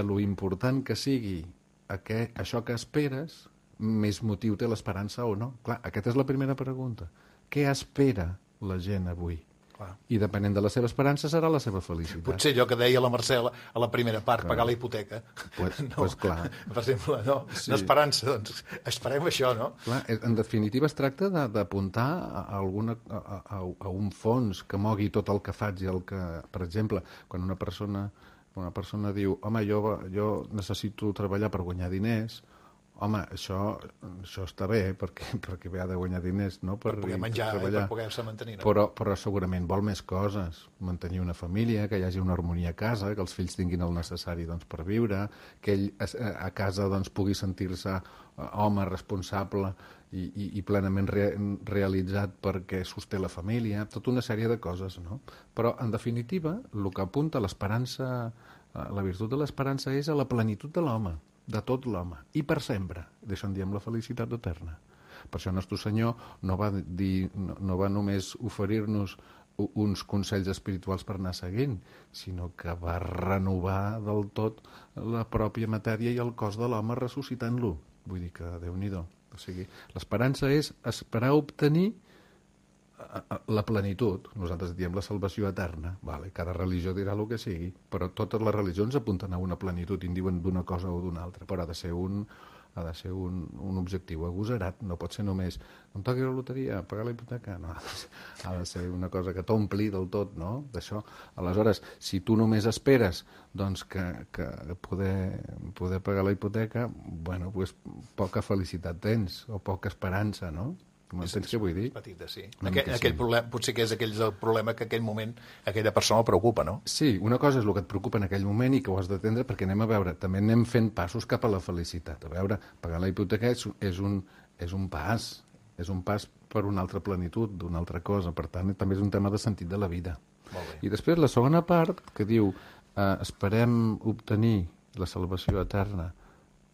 lo important que sigui això que esperes, més motiu té l'esperança o no. Clar, aquesta és la primera pregunta. Què espera la gent avui? Clar. I depenent de la seva esperança serà la seva felicitat. Potser allò que deia la Mercè a la primera part, pagar la hipoteca. Pues clar. Per exemple, no, Sí. no esperança, doncs esperem això, no? Clar, en definitiva es tracta d'apuntar a un fons que mogui tot el que faig i el que, per exemple, quan una persona diu home, jo necessito treballar per guanyar diners, home, això està bé perquè ha de guanyar diners, no? Per poder menjar i per poder-se mantenir. No? Però segurament vol més coses, mantenir una família, que hi hagi una harmonia a casa, que els fills tinguin el necessari doncs, per viure, que ell a casa doncs, pugui sentir-se home responsable i plenament realitzat perquè sosté la família, tota una sèrie de coses, no? Però, en definitiva, el que apunta l'esperança, la virtut de l'esperança és a la plenitud de l'home, de tot l'home, i per sempre. D'això en diem la felicitat eterna. Per això Nostre Senyor no va només oferir-nos uns consells espirituals per anar seguint, sinó que va renovar del tot la pròpia matèria i el cos de l'home ressuscitant-lo. Vull dir que, Déu-n'hi-do. O sigui, l'esperança és esperar obtenir la plenitud. Nosaltres diem la salvació eterna. Vale, cada religió dirà el que sigui, però totes les religions apunten a una plenitud i en diuen d'una cosa o d'una altra, però ha de ser un objectiu agosarat, no pot ser només em toqui la loteria, pagar la hipoteca, no, ha de ser una cosa que t'ompli del tot, no?, d'això. Aleshores, si tu només esperes doncs, que poder pagar la hipoteca, bueno, pues, poca felicitat tens, o poca esperança, no? M'entens què vull dir? Petita, sí. Aquell problema, potser que és el problema que en aquell moment aquella persona el preocupa, no? Sí, una cosa és el que et preocupa en aquell moment i que ho has d'atendre, perquè anem a veure, també anem fent passos cap a la felicitat. A veure, pagar la hipoteca és un pas per una altra plenitud, d'una altra cosa. Per tant, també és un tema de sentit de la vida. Molt bé. I després la segona part, que diu esperem obtenir la salvació eterna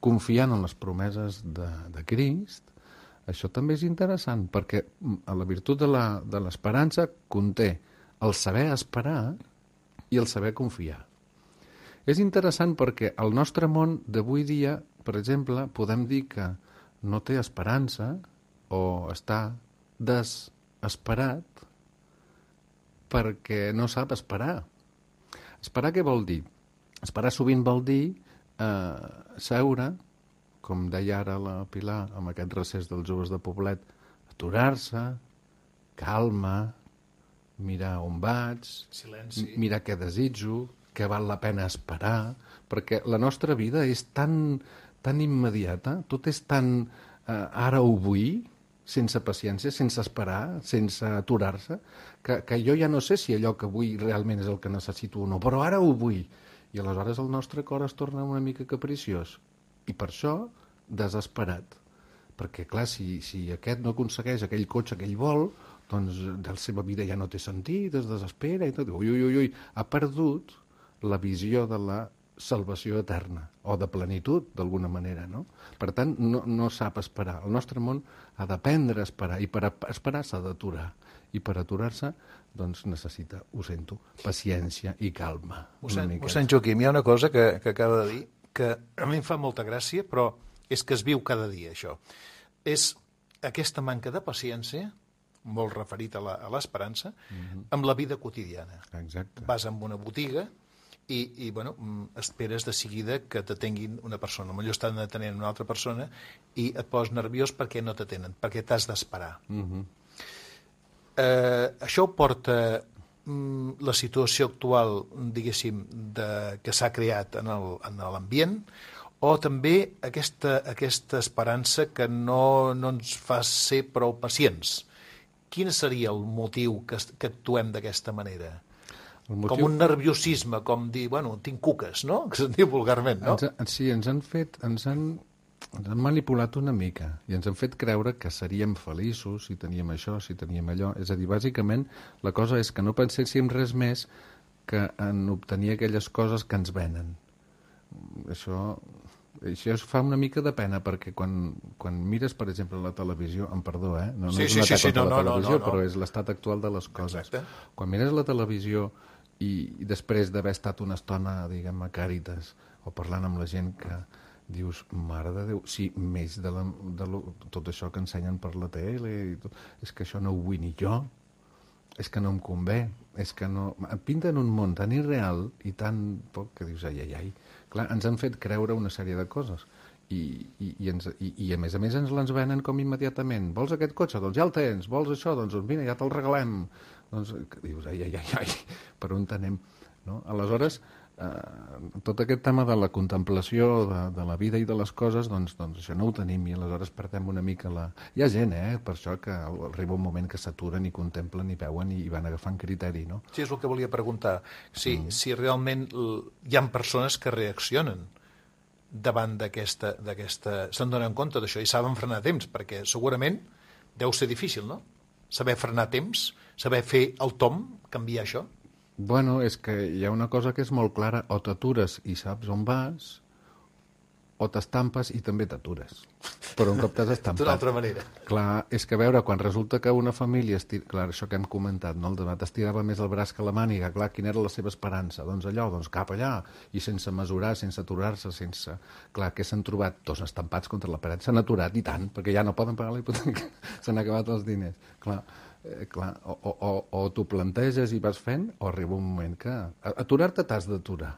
confiant en les promeses de Crist. Això també és interessant, perquè la virtut de l'esperança conté el saber esperar i el saber confiar. És interessant perquè el nostre món d'avui dia, per exemple, podem dir que no té esperança o està desesperat perquè no sap esperar. Esperar què vol dir? Esperar sovint vol dir seure, com deia ara la Pilar, amb aquest recés dels joves de Poblet, aturar-se, calma, mirar on vaig, Silenci. mirar què desitjo, què val la pena esperar, perquè la nostra vida és tan immediata, tot és tan ara o avui, sense paciència, sense esperar, sense aturar-se, que jo ja no sé si allò que vull realment és el que necessito o no, però ara ho vull. I aleshores el nostre cor es torna una mica capriciós. I per això, desesperat. Perquè, clar, si aquest no aconsegueix aquell cotxe que ell vol, doncs la seva vida ja no té sentit, es desespera i tot. Ui, ha perdut la visió de la salvació eterna, o de plenitud, d'alguna manera, no? Per tant, no sap esperar. El nostre món ha d'aprendre a esperar, i per esperar s'ha d'aturar. I per aturar-se, doncs necessita, ho sento, paciència i calma. Mossèn Joaquim, hi ha una cosa que acaba de dir que a mi em fa molta gràcia, però és que es viu cada dia, això. És aquesta manca de paciència, molt referit a l'esperança, amb la vida quotidiana. Exacte. Vas a una botiga i bueno, esperes de seguida que t'atenguin una persona. Potser estan atenent una altra persona i et poses nerviós perquè no t'atenen, perquè t'has d'esperar. Això porta la situació actual, diguéssim, que s'ha creat en l'ambient, o també aquesta esperança que no ens fa ser prou pacients quin seria el motiu que actuem d'aquesta manera? El motiu... Com un nerviosisme, com dir, bueno, tinc cuques, no? Que se'n diu vulgarment, no? Sí, ens han manipulat una mica i ens han fet creure que seríem feliços si teníem això, si teníem allò. És a dir, bàsicament, la cosa és que no penséssim res més que en obtenir aquelles coses que ens venen. Això fa una mica de pena, perquè quan mires, per exemple, la televisió, amb perdó, no és un atac contra la televisió, però és l'estat actual de les coses. Exacte. Quan mires la televisió i després d'haver estat una estona, diguem, a Càritas, o parlant amb la gent que dius, mare de Déu, sí, més de tot això que ensenyen per la tele, i tot, és que això no ho vull ni jo, és que no em convé, és que no... Em pinten un món tan irreal i tan poc que dius, ai. Clar, ens han fet creure una sèrie de coses i a més ens les venen com immediatament. Vols aquest cotxe? Doncs ja el tens. Vols això? Doncs mira, ja te'l regalem. Doncs dius, ai, per on anem? No? Aleshores, tot aquest tema de la contemplació de la vida i de les coses, doncs això no ho tenim i aleshores perdem una mica la... Hi ha gent, per això, que arriba un moment que s'aturen i contemplen i veuen i van agafant criteri, no? Sí, és el que volia preguntar. Si realment hi ha persones que reaccionen davant d'aquesta... se'n donen compte d'això i saben frenar a temps, perquè segurament deu ser difícil, no? Saber frenar a temps, saber fer el tom, canviar això. Bueno, és que hi ha una cosa que és molt clara, o t'atures i saps on vas, o t'estampes i també t'atures. Però un cop t'has estampat... D'una altra manera. Clar, és que a veure, quan resulta que una família... Clar, això que hem comentat, no? El debat estirava més el braç que la màniga. Clar, quina era la seva esperança? Doncs allò, doncs cap allà. I sense mesurar, sense aturar-se, sense... Clar, què s'han trobat? Dos estampats contra la paret. S'han aturat, i tant, perquè ja no poden pagar la hipoteca. S'han acabat els diners. Clar, o t'ho planteges i vas fent, o arriba un moment que... Aturar-te t'has d'aturar.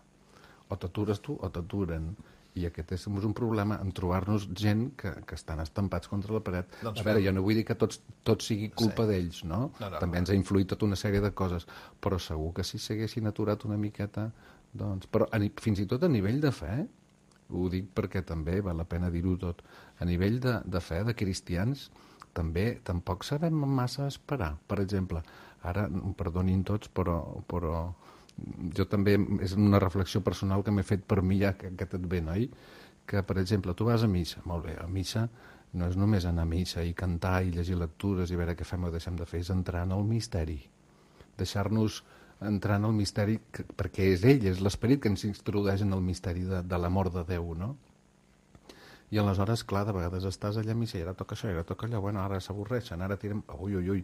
O t'atures tu o t'aturen. I aquest és un problema en trobar-nos gent que estan estampats contra la paret. Doncs a veure, jo no vull dir que tot sigui culpa d'ells, no? També ens ha influït tota una sèrie de coses, però segur que si s'haguessin aturat una miqueta, doncs... Però fins i tot a nivell de fe, ho dic perquè també val la pena dir-ho tot, a nivell de fe, de cristians, també tampoc sabem massa esperar. Per exemple, ara, perdonin tots, però jo també, és una reflexió personal que m'he fet per mi ja que et ve, oi? Que, per exemple, tu vas a missa, molt bé, a missa no és només anar a missa i cantar i llegir lectures i veure què fem o deixem de fer, és entrar en el misteri. Deixar-nos entrar en el misteri, perquè és ell, és l'esperit que ens introdueix en el misteri de l'amor de Déu, no? I aleshores, clar, de vegades estàs allà a missa i ara toca això, ara toca allò, bueno, ara s'avorreixen, ara tirem... Ui.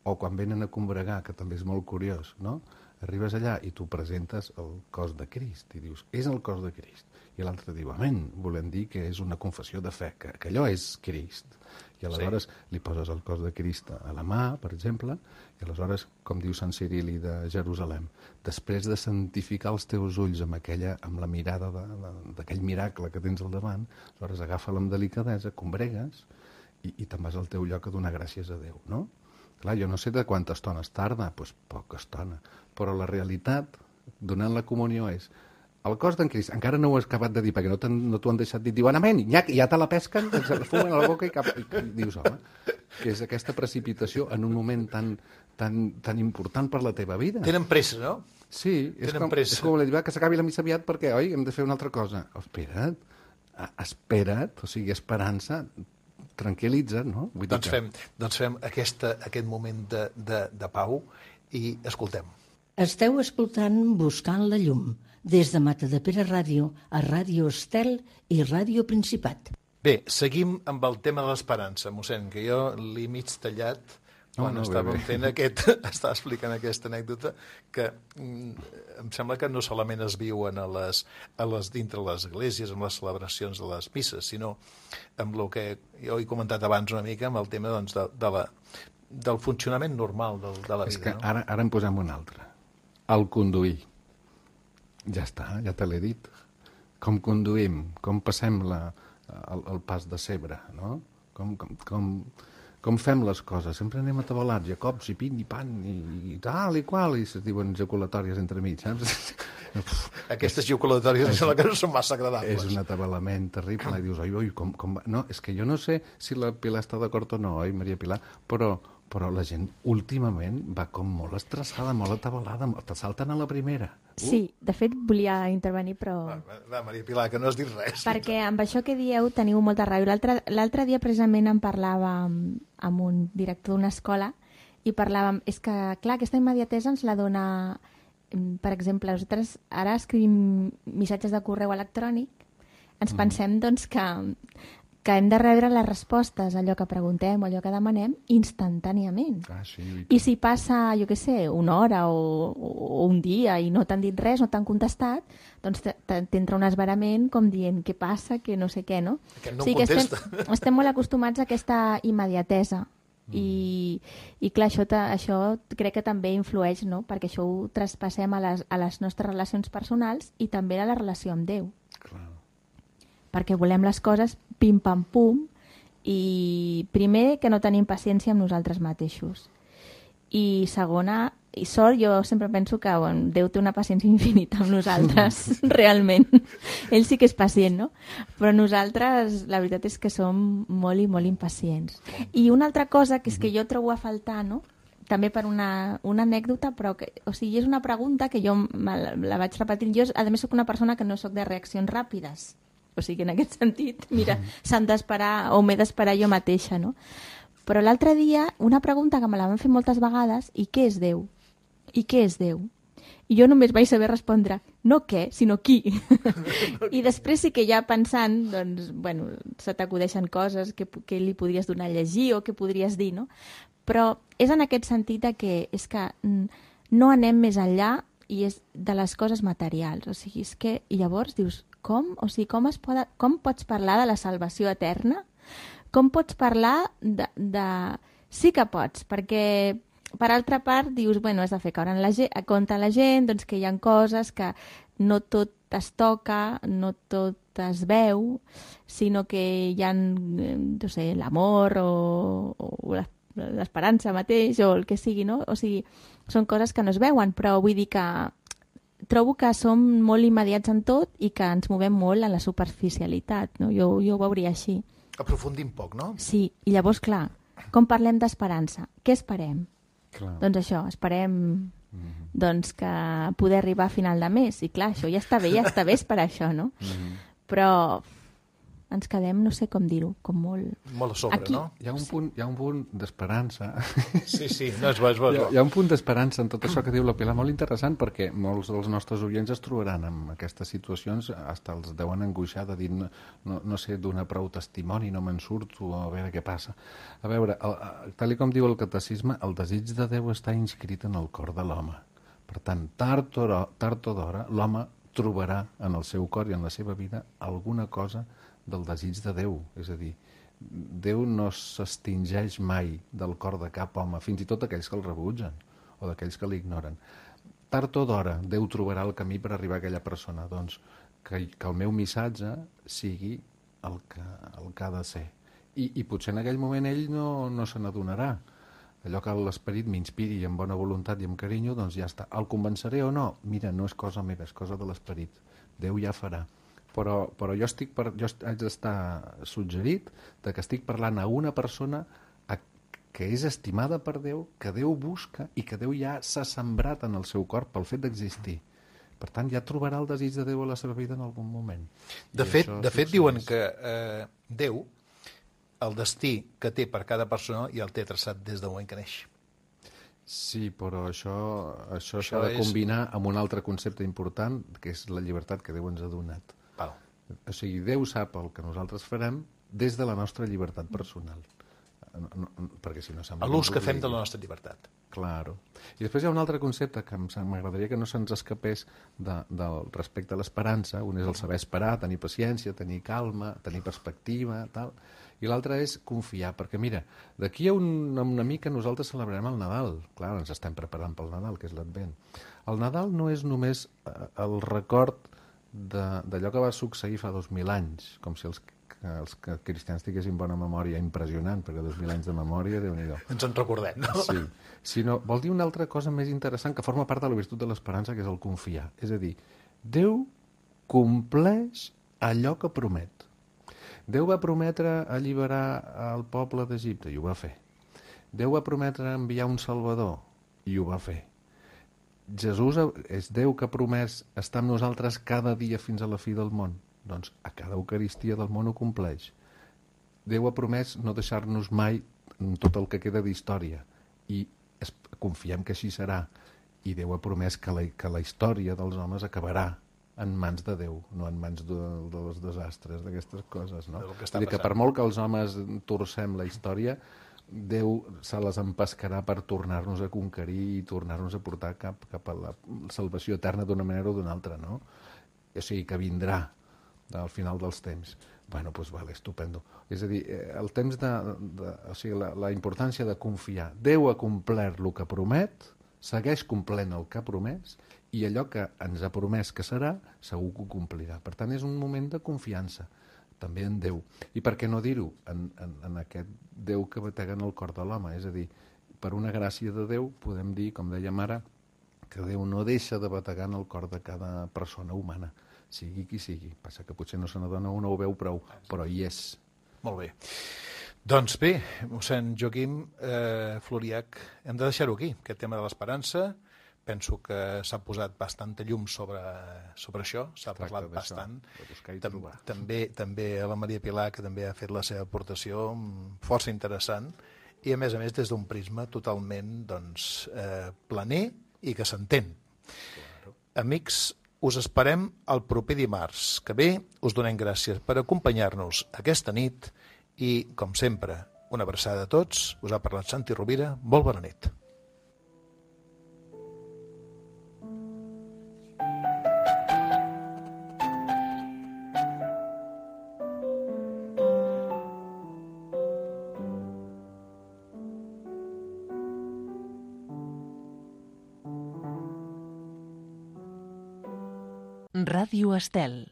O quan venen a combregar, que també és molt curiós, no? Arribes allà i tu presentes el cos de Crist i dius, és el cos de Crist. I l'altre diu, amén, volem dir que és una confessió de fe, que allò és Crist. I aleshores li poses el cos de Crist a la mà, per exemple, i aleshores, com diu Sant Cirili de Jerusalem, després de santificar els teus ulls amb la mirada d'aquell miracle que tens al davant, aleshores agafa-la amb delicadesa, combregues i te'n vas al teu lloc a donar gràcies a Déu, no? Clar, jo no sé de quanta estona es tarda, doncs poca estona, però la realitat, donant la comunió, és el cos d'en Crist, encara no ho has acabat de dir, perquè no t'ho han deixat dir, diuen, amén, ja te la pesquen, se la fumen a la boca i dius, home, que és aquesta precipitació en un moment tan important per la teva vida. Tenen pressa, no? Sí, és com la dir, que s'acabi la missa aviat perquè, oi, hem de fer una altra cosa. Espera't, o sigui, esperança, tranquil·litza't, no? Doncs fem aquest moment de pau i escoltem. Esteu escoltant Buscant la llum, des de Matadepera Ràdio a Ràdio Estel i Ràdio Principat. Bé, seguim amb el tema de l'esperança, mossèn, que jo l'he mig tallat quan estàvem fent estava explicant aquesta anècdota, que em sembla que no solament es viuen dintre les esglésies, amb les celebracions de les misses, sinó amb el que jo he comentat abans una mica, amb el tema doncs, del funcionament normal de la vida. És que ara en posem un altre. El conduir. Ja està, ja te l'he dit. Com conduïm, com passem el pas de cebre, no? Com fem les coses. Sempre anem atabalats, Jacobs i pin i pan i tal i qual, i se diuen ejaculatòries entremig, saps? Aquestes ejaculatòries són les que no són massa agradables. És un atabalament terrible, i dius, oi, com va? No, és que jo no sé si la Pilar està d'acord o no, oi, Maria Pilar? Però Però la gent últimament va com molt estressada, molt atabalada, te salten a la primera. Sí, de fet volia intervenir, però... Va, Maria Pilar, que no has dit res. Perquè amb això que dieu teniu molta raó. L'altre dia precisament em parlava amb un director d'una escola i parlàvem, és que clar, aquesta immediatesa ens la dona, per exemple, nosaltres ara escrivim missatges de correu electrònic, ens pensem doncs que hem de rebre les respostes a allò que preguntem o allò que demanem instantàniament. Sí, I si passa, jo què sé, una hora o un dia i no t'han dit res, no t'han contestat, doncs t'entra un esverament com dient què passa, que no sé què, no? Aquest no o sigui em contesta. que estem molt acostumats a aquesta immediatesa. I clar, això crec que també influeix, no? Perquè això ho traspassem a les nostres relacions personals i també a la relació amb Déu. Clar. Perquè volem les coses pim-pam-pum i primer que no tenim paciència amb nosaltres mateixos. I segona, i sort, jo sempre penso que Déu té una paciència infinita amb nosaltres, realment. Ell sí que és pacient, no? Però nosaltres, la veritat és que som molt i molt impacients. I una altra cosa que és que jo trobo a faltar, no?, també per una anècdota, però que, o sigui, és una pregunta que jo la vaig repetint. Jo, a més, soc una persona que no soc de reaccions ràpides. O sigui, en aquest sentit, mira, s'han d'esperar o m'he d'esperar jo mateixa, no? Però l'altre dia, una pregunta que me la van fer moltes vegades, i què és Déu? I què és Déu? I jo només vaig saber respondre, no què, sinó qui. I després sí que ja pensant, doncs, bueno, se t'acudeixen coses que li podries donar a llegir o que podries dir, no? Però és en aquest sentit que és que no anem més enllà i és de les coses materials. O sigui, és que llavors dius, com? O sigui, com pots parlar de la salvació eterna? Com pots parlar de... Sí que pots, perquè per altra part dius, bueno, has de fer caure a compte la gent, doncs que hi ha coses que no tot es toca, no tot es veu, sinó que hi ha, no sé, l'amor o l'esperança mateix o el que sigui, no? O sigui, són coses que no es veuen, però vull dir que trobo que som molt immediats en tot i que ens movem molt en la superficialitat, no? Jo ho veuria així. Aprofundim poc, no? Sí, i llavors, clar, com parlem d'esperança? Què esperem? Clar. Doncs això, esperem doncs, que poder arribar a final de mes. I clar, això ja està bé és per això, no? Però ens quedem, no sé com dir-ho, com molt... Molt a sobre, aquí, no? Hi ha un punt d'esperança. Sí, no, és bo. Hi ha un punt d'esperança en tot això que diu la Pilar, molt interessant, perquè molts dels nostres oients es trobaran en aquestes situacions, hasta els deuen angoixar de dir, no sé, donar prou testimoni, no me'n surto, a veure què passa. A veure, tal com diu el catecisme, el desig de Déu està inscrit en el cor de l'home. Per tant, tard o d'hora, l'home trobarà en el seu cor i en la seva vida alguna cosa del desig de Déu. És a dir, Déu no s'extingeix mai del cor de cap home, fins i tot aquells que el rebutgen o d'aquells que l'ignoren. Tard o d'hora, Déu trobarà el camí per arribar a aquella persona. Doncs que el meu missatge sigui el que ha de ser. I potser en aquell moment ell no se n'adonarà. Allò que l'esperit m'inspiri amb bona voluntat i amb carinyo, doncs ja està. El convenceré o no? Mira, no és cosa meva, és cosa de l'esperit. Déu ja farà. Però jo haig d'estar suggerit de que estic parlant a una persona que és estimada per Déu, que Déu busca i que Déu ja s'ha sembrat en el seu cor pel fet d'existir. Per tant, ja trobarà el desig de Déu a la seva vida en algun moment. De fet diuen que Déu, el destí que té per cada persona, ja el té traçat des del moment que neix. Sí, però això s'ha de combinar amb un altre concepte important, que és la llibertat que Déu ens ha donat. Val. O sigui, Déu sap el que nosaltres farem des de la nostra llibertat personal. Perquè si no sembla... L'ús que fem de la nostra llibertat. Claro. I després hi ha un altre concepte que m'agradaria que no se'ns escapés respecte a l'esperança. Un és el saber esperar, tenir paciència, tenir calma, tenir perspectiva, tal. I l'altre és confiar, perquè mira, d'aquí a una mica nosaltres celebrarem el Nadal. Clar, ens estem preparant pel Nadal, que és l'Advent. El Nadal no és només el record d'allò que va succeir fa 2.000 anys, com si els cristians tinguessin bona memòria, impressionant, perquè 2.000 anys de memòria, Déu-n'hi-do. Ens en recordem, no? Sí, sinó vol dir una altra cosa més interessant que forma part de la virtut de l'esperança, que és el confiar. És a dir, Déu compleix allò que promet. Déu va prometre alliberar el poble d'Egipte, i ho va fer. Déu va prometre enviar un Salvador i ho va fer. Jesús és Déu que ha promès estar amb nosaltres cada dia fins a la fi del món. Doncs a cada Eucaristia del món ho compleix. Déu ha promès no deixar-nos mai tot el que queda d'història i confiem que així serà. I Déu ha promès que la història dels homes acabarà en mans de Déu, no en mans dels desastres, d'aquestes coses, no? Vull dir que per molt que els homes torcem la història, Déu se les empescarà per tornar-nos a conquerir i tornar-nos a portar cap a la salvació eterna d'una manera o d'una altra, no? O sigui, que vindrà al final dels temps. Bueno, doncs vale, estupendo. És a dir, el temps o sigui, la importància de confiar. Déu ha complert el que promet, segueix complent el que ha promès i allò que ens ha promès que serà, segur que ho complirà. Per tant, és un moment de confiança, també en Déu. I per què no dir-ho? En aquest Déu que batega en el cor de l'home. És a dir, per una gràcia de Déu podem dir, com dèiem ara, que Déu no deixa de bategar en el cor de cada persona humana, sigui qui sigui. Passa que potser no se n'adona o no ho veu prou, però hi és. Molt bé. Doncs bé, mossèn Joaquim Floriach, hem de deixar-ho aquí, aquest tema de l'esperança. Penso que s'ha posat bastanta llum sobre això, s'ha parlat bastant. També a la Maria Pilar, que també ha fet la seva aportació força interessant, i a més des d'un prisma totalment planer i que s'entén. Amics, us esperem el proper dimarts que ve. Us donem gràcies per acompanyar-nos aquesta nit i, com sempre, una abraçada a tots. Us ha parlat Santi Rovira. Molt bona nit. Ràdio Estel.